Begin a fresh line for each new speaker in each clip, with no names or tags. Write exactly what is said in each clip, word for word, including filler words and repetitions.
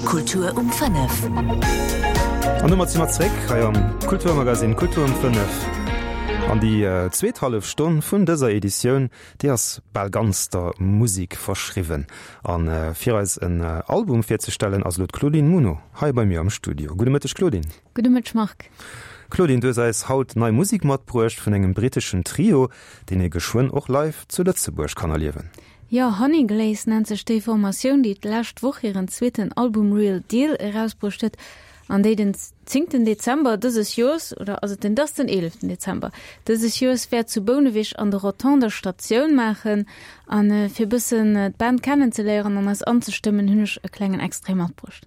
Kultur um fënnef.
An domat si mer zréck hei am Kulturmagazin Kultur um fënnef. An déi zweet hallef Stonn vun dëser Editioun, déi ass bal ganz der Musek verschriwwen. An fir eis en Album virzestellen, ass elo d'Claudine Muno hei bei mir am Studio. Gudde Mëtteg Claudine.
Gudde Mëtteg Marc.
Claudine, du hues eis haut nei Musek matbruecht vun engem britteschen Trio, deen ee geschwënn och live zu Lëtzebuerg kann erliewen.
Jo, Honeyglaze nennt sech déi Formatioun, déi d'lescht Woch hiren zweeten Album Real Deal erausbruecht huet an déi den zéngten Dezember dëses Joers, oder ass et den, dat ass den eeleften Dezember dëses Joers, wäert zu Bouneweg an der Rotonde Statioun maachen. An fir e bëssen d'Band kennenzeléieren an eis anzestëmmen, hunn ech e klengen Extrait matbruecht.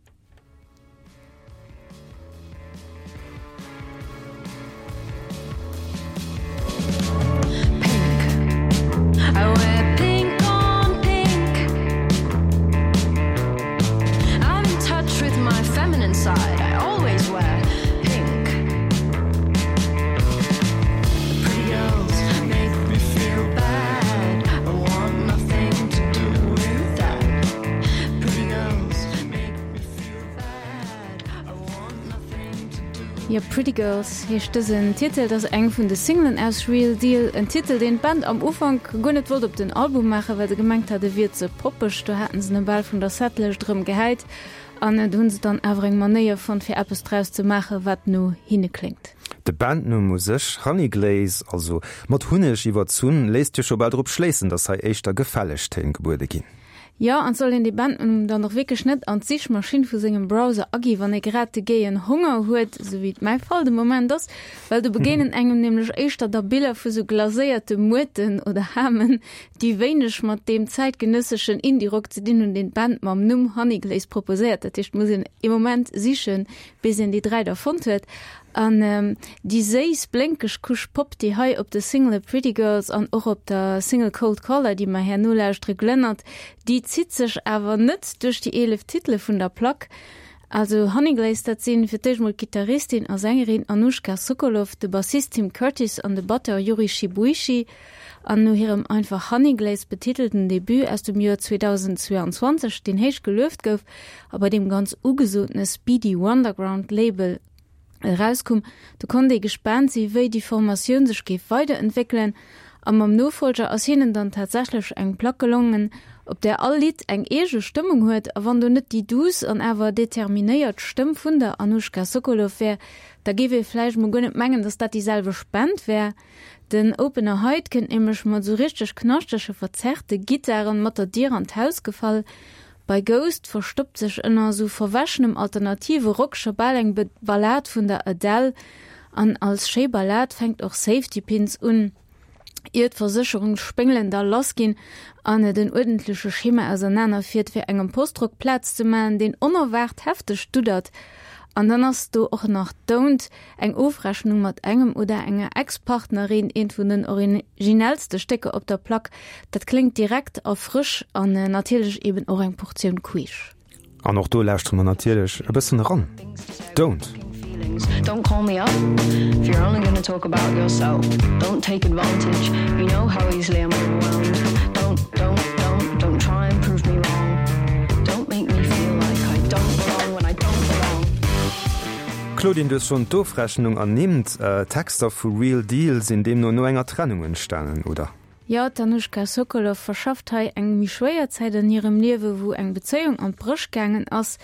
Jo, Pretty Girls heescht dësen Titel. Dat ass eng vun de Singlen aus Real Deal. En Titel, deen d'Band am Ufank guer net wollt op den Album maachen, well se gemengt hat, e wier ze poppeg. Do haten se e bal vun der Setlëscht erëm gehäit. An do hunn se dann awer eng Manéier fonnt, fir eppes draus ze maachen, wat no hinne kléngt.
De Bandnumm u sech, Honeyglaze, also mat Hunneg iwwerzunn, léisst jo scho bal drop schléissen, datt hei éischter gefälleg Téin gebuede ginn.
Jo, an et soll een dee Bandnumm dann och wierklech net an d'Sichmaschinn vu sengem Browser agi wann ee grad de géien Honger huet, esou wéi et mäi Fall de Moment ass, well do begéinen engem nämlech éischter da Biller vu sou glaséierte Muerten oder Hamen, déi wéineg mat deem zäitgenësseschen Indie-Rock ze dinn hunn, deen d'Band mam Numm Honeyglaze proposéiert. Dat heescht, et muss een ee Moment sichen, bis een déi dräi da fonnt huet. An déi séiss, blénkeg Couche Pop, déi hei op de Single Pretty Girls an och op der Single Cold Caller, déi mer herno lauschtere, glënnert, déi zitt sech awer net duerch déi eelef Titele vun der Plack. Also Honeyglaze, dat sinn fir d'éischt mol d'Gittaristin a Sängerin Anoushka Sokoloff, de Bassist Tim Curtis an de Batteur Yuri Shibuishi. An no hirem einfach Honeyglaze betitelten Debut aus dem Joer zweedausendzweeanzwanzeg, deen héich gelueft gouf a bei deem ganz ugesotene Speedy Wonderground Label erauskoum, do konnt ee gespaant si wéi déi Formatioun sech géif weiderentwéckelen. A mam Nofollger ass hinnen dann tatsächlech eng Plack gelongen, op där all Lidd eng eege Stëmmung huet. A wann do net déi duuss an awer determinéiert Stëmm vun der Anoushka Sokoloff wär, da géif ee vläicht mol guer net mengen, datt dat déi selwecht Band wär. Den Opener Hide kënnt nämlech mat esou richteg knaschtege verzerrte Gittaren mat der Dier an d'Haus gefall. Bei Ghost verstoppt sech ënner esou verwäschenem alternative Rock scho bal eng Ballad vun der Adele an als schéi Ballad fänkt och Safety Pins un, ier d'Versécherungsspéngelen da lass ginn an et en uerdentleche Schema ausernaner fiert, fir engem Postrock Plaz ze maachen, deen onerwaart hefteg duddert. An dann ass do och nach Don't, eng Ofrechnung mat engem oder enger Ex-Partnerin, eent vun den originellste Stécker op der Plack. Dat kléngt direkt a frësch an natierlech eben och eng Portioun queesch.
An och do lauschtere mer natierlech e bëssen eran. Don't.
Don't call me up if you're only gonna talk about yourself. Don't take advantage, you know how easily I'm overwhelmed. Don't, don't, don't, don't try and prove me wrong. Don't make me feel like I don't belong when I don't belong.
Claudine, du hues schonn d'Ofrechnung ernimmt. D'Texter vu Real Deal sinn deemno no enger Trennung entstanen, oder?
Jo, d'Anoushka Sokoloff verschafft hei eng méi schwéier Zäit an hirem Liewe, wou eng Bezéiung an d'Bréch gaangen ass.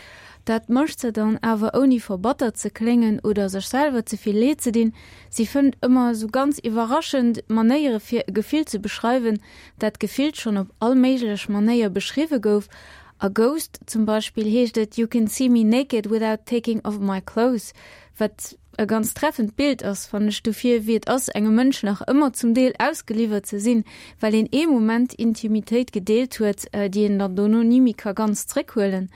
Dat mécht se dann awer ouni verbattert ze kléngen oder sech selwer ze vill Leed ze dinn. Si fënnt ëmmer esou ganz iwwerraschend Manéiere fir e Gefill ze beschreiwen, dat gefillt schonn op all méiglech Manéier beschriwwe gouf. A Ghost zum Beispill heescht et You can see me naked without taking off my clothes, wat e ganz treffend Bild ass, fannen ech, dofir wéi et ass, engem Mënsch nach ëmmer zum Deel ausgeliwwert ze sinn, well een ee Moment Intimitéit gedeelt huet, déi een dann dono ni méi ka ganz zréckhuelen.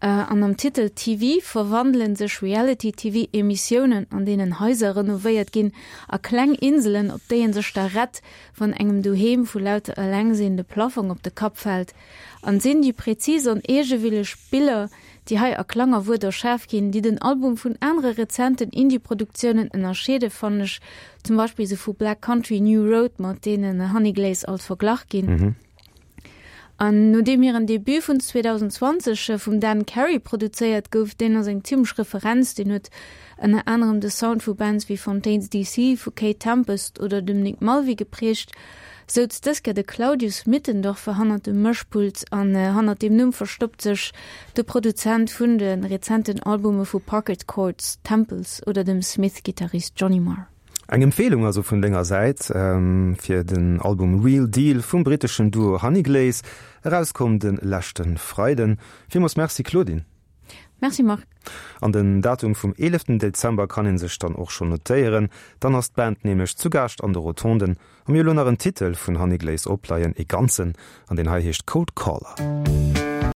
An am Titel T V verwandele sech Reality-T V-Emissiounen, an deenen Haiser renovéiert ginn, a kleng Inselen, op déi ee sech da rett, wann engem doheem vu lauter Elengsinn de Plaffong op de Kapp fält. An sinn déi präzis an eegewilleg Biller, déi hei a Klang a Wuert erschaf ginn, déi den Album vun anere rezenten Indie-Produktiounen ënnerscheeden, fannen ech, zum Beispill se vu Black Country, New Road, mat deenen Honeyglaze alt verglach ginn. An nodeem hiren Debut vun zweedausendzwanzeg vum Dan Carey produzéiert gouf, deen ass eng zimmlech Referenz, deen huet ënner anerem de Sound vu Bands wéi Fontaines D C, vu Kate Tempest oder dem Nick Mulvey geprägt, souz dës Kéier de Claudius Mittendorfer hannert dem Mëschpult an hannert deem Numm verstoppt sech de Produzent vun de rezenten Albume vu Parquet Courts, Temples oder dem Smiths-Gittarist Johnny Marr.
Eng Empfehlung also vun denger Säit fir den Album Real Deal vum britteschen Duo Honeyglaze, erauskomm de leschte Freiden. Villmools Merci Claudine.
Merci Marc.
An den Datum vum eeleften Dezember kann een sech dann och schonn notéieren, dann ass d'Band nämlech zu Gaascht an de Rotonden. A mir hu lo nach en Titel vun Honeyglaze opleien, ee ganzen, an deen hei heescht Cold Caller.